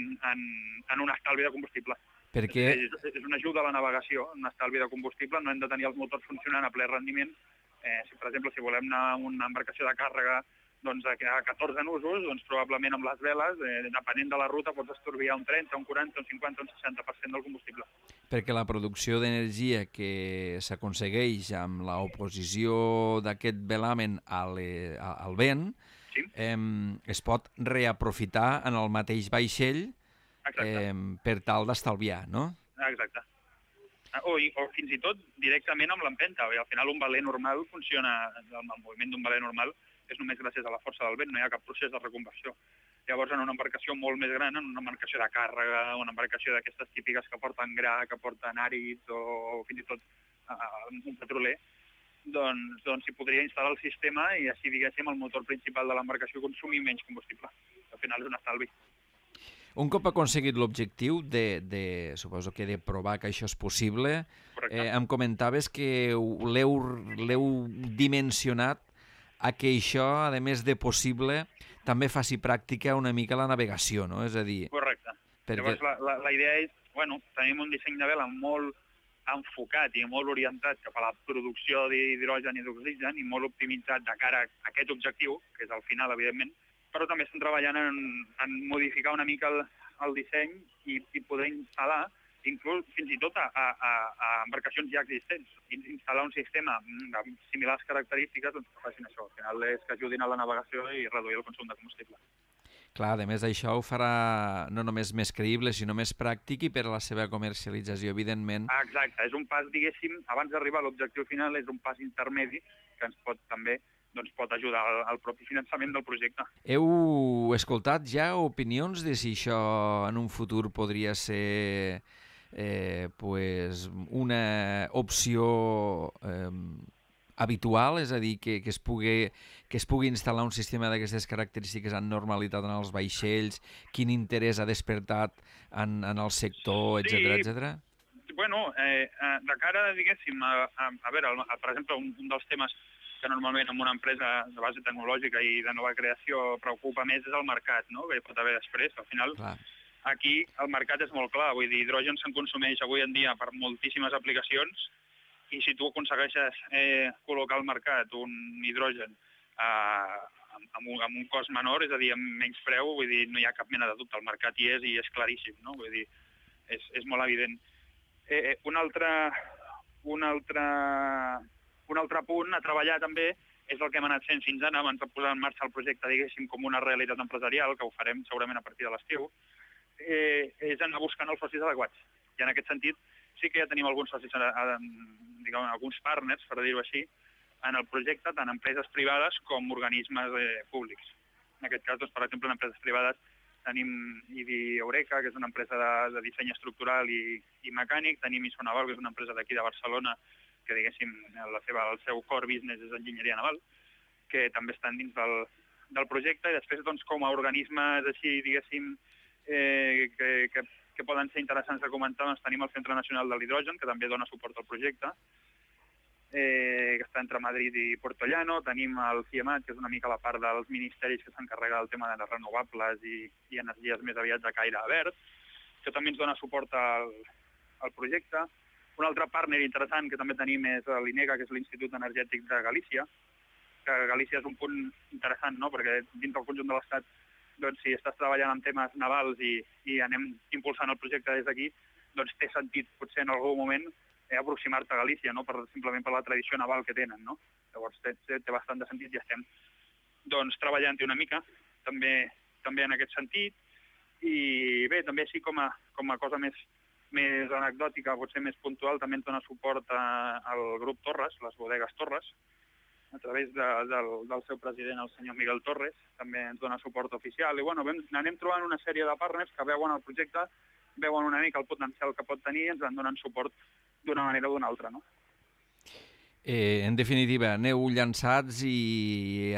un estalvi de combustible. Perquè... És una ajuda a la navegació, un estalvi de combustible, no hem de tenir els motors funcionant a ple rendiment. Per exemple, si volem anar a una embarcació de càrrega doncs, a 14 nusos, doncs, probablement amb les veles, depenent de la ruta, pots estalviar un 30, un 40, un 50, un 60% del combustible. Perquè la producció d'energia que s'aconsegueix amb l'oposició d'aquest velamen al vent es pot reaprofitar en el mateix vaixell per tal d'estalviar, no? Exacte. O fins i tot directament amb l'empenta. Al final un veler normal funciona, el moviment d'un veler normal és només gràcies a la força del vent, no hi ha cap procés de reconversió. Llavors, en una embarcació molt més gran, en una embarcació de càrrega, una embarcació d'aquestes típiques que porten gra, que porten àrids o fins i tot un petroler, doncs s'hi podria instal·lar el sistema i així, diguéssim, el motor principal de l'embarcació consumir menys combustible. Al final és un estalvi. Un cop aconseguit l'objectiu suposo que de provar que això és possible, em comentaves que l'heu dimensionat a que això, a més de possible, també faci pràctica una mica la navegació, no? És a dir... Correcte. Llavors, la idea és, tenim un disseny de vela molt enfocat i molt orientat cap a la producció d'hidrogen i d'oxigen i molt optimitzat de cara a aquest objectiu, que és al final, evidentment, però també estem treballant en modificar una mica el disseny i poder instal·lar, inclús fins i tot a embarcacions ja existents, instal·lar un sistema de similars característiques que facin això. Al final és que ajudin a la navegació i reduir el consum de combustible. Clar, a més això ho farà no només més creïble, sinó més pràctic i per a la seva comercialització, evidentment. Exacte, és un pas, diguéssim, abans d'arribar a l'objectiu final, és un pas intermedi que ens pot també pot ajudar al propi finançament del projecte. Heu escoltat ja opinions de si això en un futur podria ser una opció habitual, és a dir, que es pugui instal·lar un sistema d'aquestes característiques amb normalitat en els vaixells, quin interès ha despertat en el sector, etcètera? Bueno, de cara, diguéssim, a veure, per exemple, un dels temes que normalment en una empresa de base tecnològica i de nova creació preocupa més és el mercat, no? Que hi pot haver després. Al final, aquí el mercat és molt clar. Vull dir, hidrogen se'n consumeix avui en dia per moltíssimes aplicacions i si tu aconsegueixes col·locar al mercat un hidrogen amb un cost menor, és a dir, amb menys preu, vull dir, no hi ha cap mena de dubte. El mercat hi és i és claríssim, no? Vull dir, és molt evident. Un altre punt a treballar també és el que hem anat fent fins ara, abans de posar en marxa el projecte, diguéssim, com una realitat empresarial, que ho farem segurament a partir de l'estiu, és anar buscant els socis adequats. I en aquest sentit sí que ja tenim alguns socis, diguem, alguns partners, per dir-ho així, en el projecte, tant empreses privades com organismes públics. En aquest cas, doncs, per exemple, en empreses privades tenim IDI Eureka, que és una empresa de disseny estructural i mecànic, tenim Isonaval, que és una empresa d'aquí de Barcelona, que, diguéssim, el seu core business és enginyeria naval, que també estan dins del projecte, i després, doncs, com a organismes així, diguéssim, que poden ser interessants de comentar, doncs tenim el Centre Nacional de l'Hidrogen, que també dona suport al projecte, que està entre Madrid i Puertollano, tenim el CIEMAT, que és una mica la part dels ministeris que s'encarrega del tema de les renovables i energies més aviat de caire verd, que també ens dona suport al projecte. Un altre partner interessant que també tenim és l'INEGA, que és l'Institut Energètic de Galícia, que Galícia és un punt interessant, no? Perquè dins del conjunt de l'Estat, doncs, si estàs treballant en temes navals i anem impulsant el projecte des d'aquí, doncs té sentit potser en algun moment aproximar-te a Galícia, no? Simplement per la tradició naval que tenen, no? Llavors té bastant de sentit i estem doncs, treballant-hi una mica, també en aquest sentit. I bé, també així com a cosa més anecdòtica, potser més puntual, també ens dona suport al grup Torres, les bodegues Torres, a través del seu president, el senyor Miguel Torres, també ens dona suport oficial. I bueno, anem trobant una sèrie de partners que veuen el projecte, veuen una mica el potencial que pot tenir i ens en donen suport d'una manera o d'una altra, no? En definitiva, aneu llançats i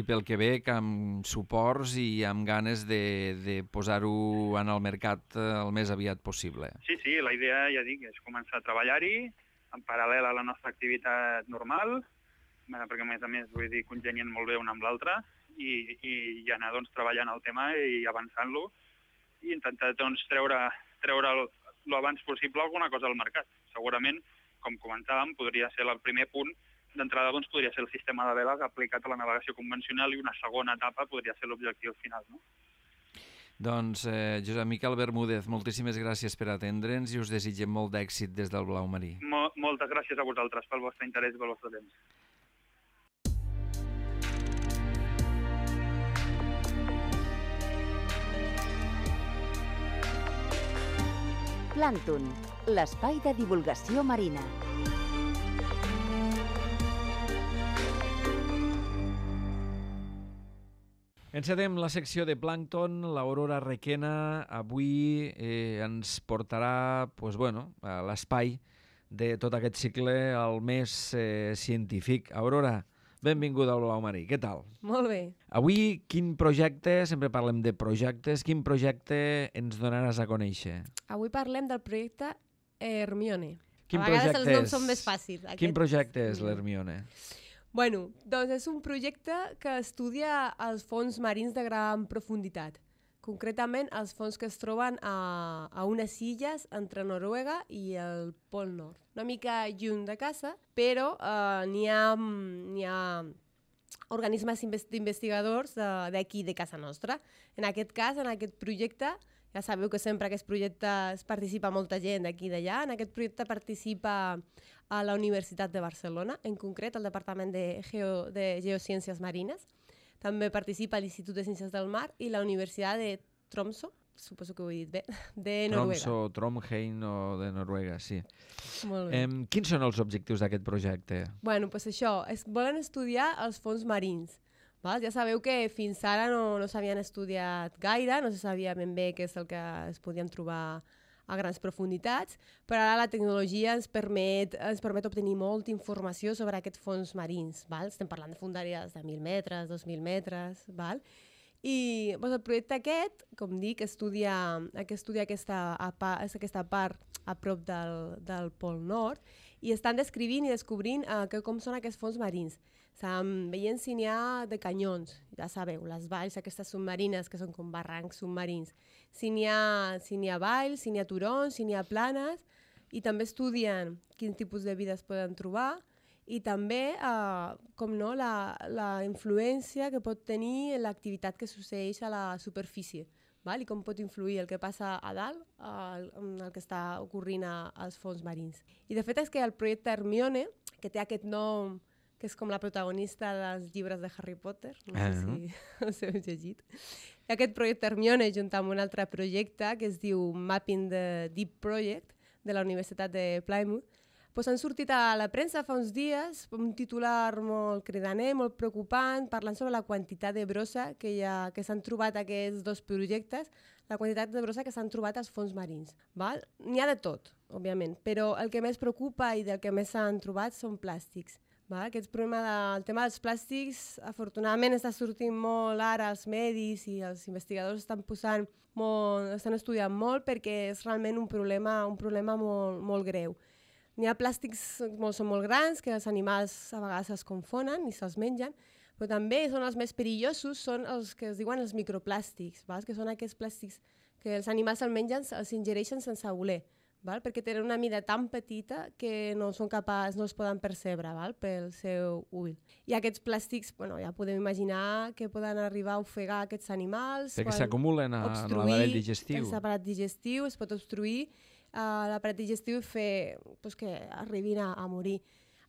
pel que veig amb suports i amb ganes de posar-ho en el mercat el més aviat possible. Sí, la idea, ja dic, és començar a treballar-hi en paral·lel a la nostra activitat normal, perquè a més, vull dir, congenien molt bé una amb l'altra i anar doncs, treballant el tema i avançant-lo i intentar doncs, treure l'abans possible alguna cosa al mercat. Segurament, com comentàvem, podria ser el primer punt d'entrada doncs, podria ser el sistema de veles aplicat a la navegació convencional i una segona etapa podria ser l'objectiu final, no? Doncs, Josep Miquel Bermúdez, moltíssimes gràcies per atendre'ns i us desitgem molt d'èxit des del Blau Marí. Moltes gràcies a vosaltres pel vostre interès i pel vostre temps. Plàncton, l'espai de divulgació marina. Encedem la secció de plàncton. L'Aurora Requena avui ens portarà a l'espai de tot aquest cicle al més científic. Aurora, benvinguda al Blau Marí. Què tal? Molt bé. Avui, quin projecte, sempre parlem de projectes, quin projecte ens donaràs a conèixer? Avui parlem del projecte Hermione. Quin a vegades projecte els noms són més fàcils. Quin projecte és l'Hermione? Bueno, doncs és un projecte que estudia els fons marins de gran profunditat. Concretament, els fons que es troben a unes illes entre Noruega i el Pol Nord. Una mica lluny de casa, però n'hi ha organismes d'investigadors d'aquí, de casa nostra. En aquest cas, en aquest projecte, ja sabeu que sempre en aquests projectes participa molta gent d'aquí i d'allà. En aquest projecte participa a la Universitat de Barcelona, en concret al Departament de Geociències Marines. També participa l'Institut de Ciències del Mar i la Universitat de Tromsø, suposo que ho he dit bé, de Noruega. Tromsø, Trondheim o de Noruega, sí. Molt bé. Quins són els objectius d'aquest projecte? Bueno, doncs això, volen estudiar els fons marins. Val? Ja sabeu que fins ara no s'havien estudiat gaire, no se sabia ben bé què és el que es podien trobar a grans profunditats, però ara la tecnologia ens permet obtenir molta informació sobre aquests fons marins. Val? Estem parlant de fondàries de 1.000 metres, 2.000 metres. Val? I doncs, el projecte aquest, com dic, estudia aquesta part a prop del Pol Nord i estan descrivint i descobrint com són aquests fons marins. Estan veient si n'hi ha de canyons, ja sabeu, les valls aquestes submarines que són com barrancs submarins. Si n'hi ha valls, si n'hi ha turons, si n'hi ha planes, i també estudien quin tipus de vida es poden trobar i també, com no, la influència que pot tenir l'activitat que succeeix a la superfície, val? I com pot influir el que passa a dalt en el que està ocorrent als fons marins. I de fet és que el projecte Hermione, que té aquest nom que és com la protagonista dels llibres de Harry Potter, no sé si us heu llegit. Aquest projecte Hermione, junt amb un altre projecte que es diu Mapping the Deep Project, de la Universitat de Plymouth, doncs han sortit a la premsa fa uns dies un titular molt cridaner, molt preocupant, parlant sobre la quantitat de brossa que s'han trobat aquests dos projectes, la quantitat de brossa que s'han trobat als fons marins. N'hi ha de tot, òbviament, però el que més preocupa i del que més s'han trobat són plàstics. El tema dels plàstics, afortunadament, està sortint molt ara als medis i els investigadors estan estudiant molt perquè és realment un problema molt greu. N'hi ha plàstics que són molt grans, que els animals a vegades es confonen i se'ls mengen, però també són els més perillosos, són els que es diuen els microplàstics, que són aquests plàstics que els animals se'ls mengen, els ingereixen sense voler. Perquè tenen una mida tan petita que no es poden percebre pel seu ull. I aquests plàstics, ja podem imaginar que poden arribar a ofegar aquests animals. Perquè s'acumulen a l'aparell digestiu. L'aparell digestiu es pot obstruir l'aparell digestiu i fer que arribin a morir.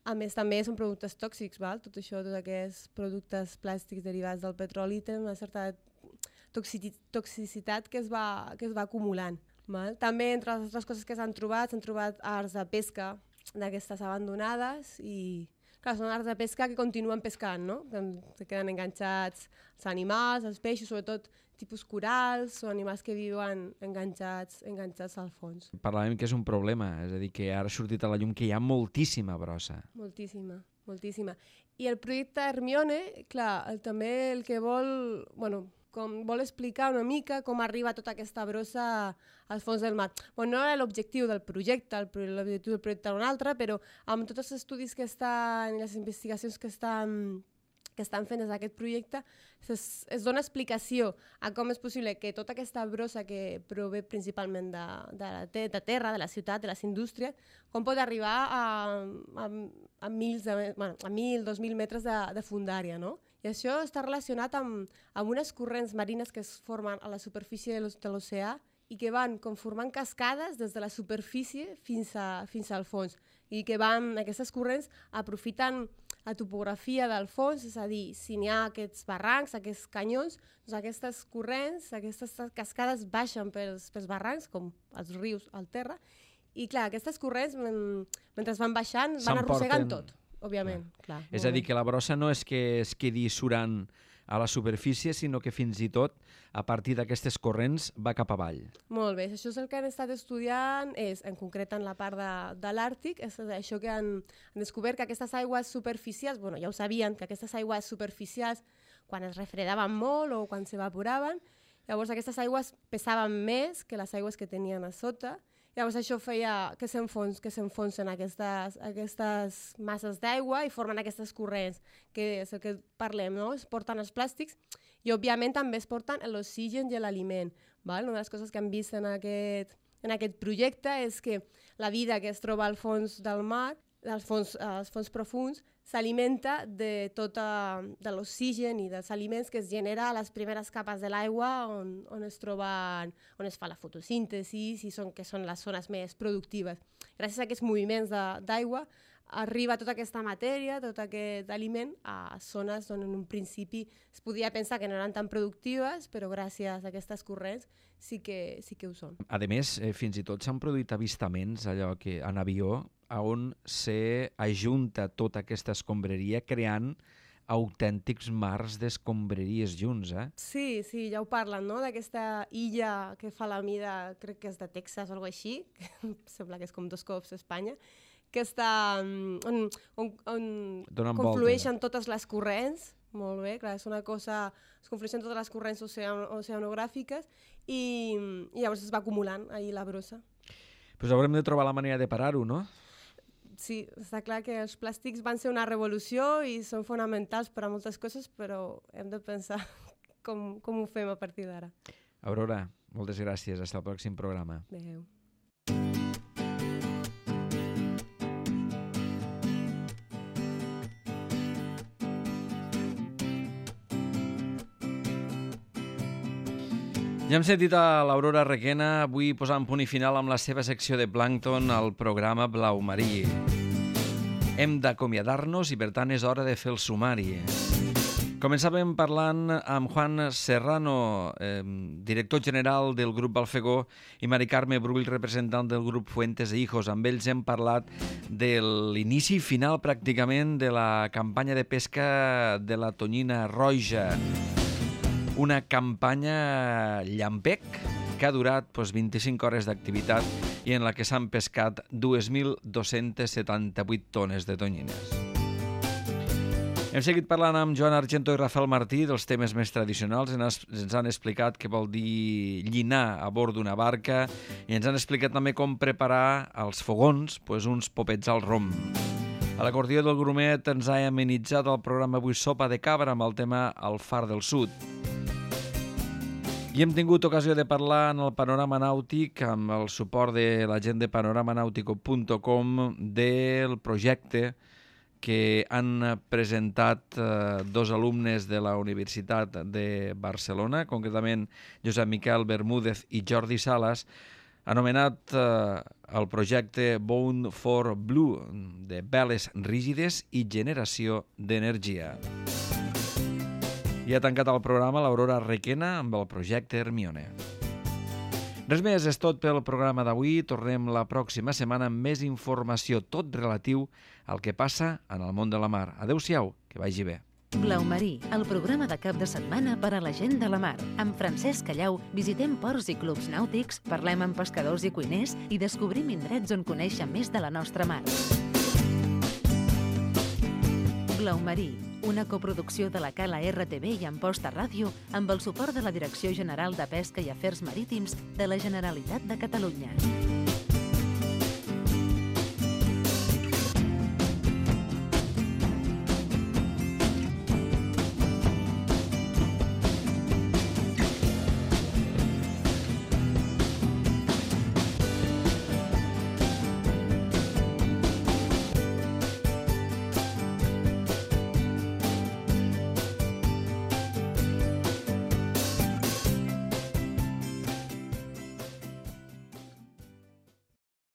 A més, també són productes tòxics, tot això, tots aquests productes plàstics derivats del petroli tenen una certa toxicitat que es va acumulant. També, entre les altres coses que s'han trobat arts de pesca d'aquestes abandonades i, clar, són arts de pesca que continuen pescant, no? Que queden enganxats els animals, els peixos, sobretot tipus corals o animals que viuen enganxats al fons. Parlàvem que és un problema, és a dir, que ara ha sortit a la llum que hi ha moltíssima brossa. Moltíssima. I el projecte Hermione, clar, també el que vol explicar una mica com arriba tota aquesta brossa als fons del mar. No era l'objectiu del projecte, l'objectiu del projecte era un altre, però amb tots els estudis que estan i les investigacions que que estan fent des d'aquest projecte, es dona explicació a com és possible que tota aquesta brossa que prové principalment de terra, de la ciutat, de les indústries, com pot arribar a 1.000-2.000 metres de fondària, no? I això està relacionat amb unes corrents marines que es formen a la superfície de l'oceà i que van conformant cascades des de la superfície fins al fons. I que aquestes corrents aprofiten la topografia del fons, és a dir, si n'hi ha aquests barrancs, aquests canyons, doncs aquestes corrents, aquestes cascades baixen pels barrancs, com els rius al terra, i clar, aquestes corrents, mentre van baixant, van arrossegant tot, òbviament. Clar, és a dir, que la brossa no és que es quedi surant a la superfície, sinó que fins i tot, a partir d'aquestes corrents, va cap avall. Molt bé, això és el que han estat estudiant, en concret en la part de l'Àrtic, és això que han descobert que aquestes aigües superficials, bueno, ja ho sabien, que aquestes aigües superficials, quan es refredaven molt o quan s'evaporaven, llavors aquestes aigües pesaven més que les aigües que tenien a sota. Llavors això feia que s'enfonsen aquestes masses d'aigua i formen aquestes corrents, que és el que parlem, no? Es porten els plàstics i òbviament també es porten l'oxigen i l'aliment. Una de les coses que hem vist en aquest projecte és que la vida que es troba al fons del mar, als fons profunds, s'alimenta de l'oxigen i dels aliments que es genera a les primeres capes de l'aigua on es fa la fotosíntesi i que són les zones més productives. Gràcies a aquests moviments d'aigua arriba tota aquesta matèria, tot aquest aliment a zones on en un principi es podia pensar que no eren tan productives, però gràcies a aquestes corrents sí que ho són. A més, fins i tot s'han produït avistaments allò que en avió on s'ajunta tota aquesta escombraria creant autèntics mars d'escombraries junts, eh? Sí, ja ho parlen, no?, d'aquesta illa que fa la mida, crec que és de Texas o alguna cosa així, que sembla que és com 2 cops Espanya, que està on conflueixen totes les corrents, molt bé, clar, és una cosa, es conflueixen totes les corrents oceanogràfiques i llavors es va acumulant ahir la brossa. Doncs haurem de trobar la manera de parar-ho, no? Sí, està clar que els plàstics van ser una revolució i són fonamentals per a moltes coses, però hem de pensar com ho fem a partir d'ara. Aurora, moltes gràcies. Fins al pròxim programa. Adéu. Ja hem sentit a l'Aurora Requena, avui posant punt i final amb la seva secció de plàncton al programa Blau Marí. Hem d'acomiadar-nos i, per tant, és hora de fer el sumari. Començàvem parlant amb Juan Serrano, director general del grup Balfegó, i Mari Carme Brull, representant del grup Fuentes e Hijos. Amb ells hem parlat de l'inici final, pràcticament, de la campanya de pesca de la tonyina roja. Una campanya llampec que ha durat 25 hores d'activitat i en la que s'han pescat 2.278 tones de tonyines. Hem seguit parlant amb Joan Argento i Rafael Martí dels temes més tradicionals. Ens han explicat què vol dir llinar a bord d'una barca i ens han explicat també com preparar als fogons uns popets al rom. A l'acordió del Grumet ens ha amenitzat el programa avui Sopa de Cabra amb el tema El Far del Sud. I hem tingut ocasió de parlar en el Panorama Nàutic amb el suport de la gent de panoramanautico.com del projecte que han presentat 2 alumnes de la Universitat de Barcelona, concretament Josep Miquel Bermúdez i Jordi Salas, anomenat el projecte Bone for Blue, de veles rígides i generació d'energia. I ha tancat el programa l'Aurora Requena amb el projecte Hermione. Res més, és tot pel programa d'avui. Tornem la pròxima setmana amb més informació, tot relatiu al que passa en el món de la mar. Adéu-siau, que vagi bé. Blau Marí, el programa de cap de setmana per a la gent de la mar. Amb Francesc Callau visitem ports i clubs nàutics, parlem amb pescadors i cuiners i descobrim indrets on conèixer més de la nostra mar. Blau Marí, una coproducció de la Cala RTV i Amposta Ràdio amb el suport de la Direcció General de Pesca i Afers Marítims de la Generalitat de Catalunya.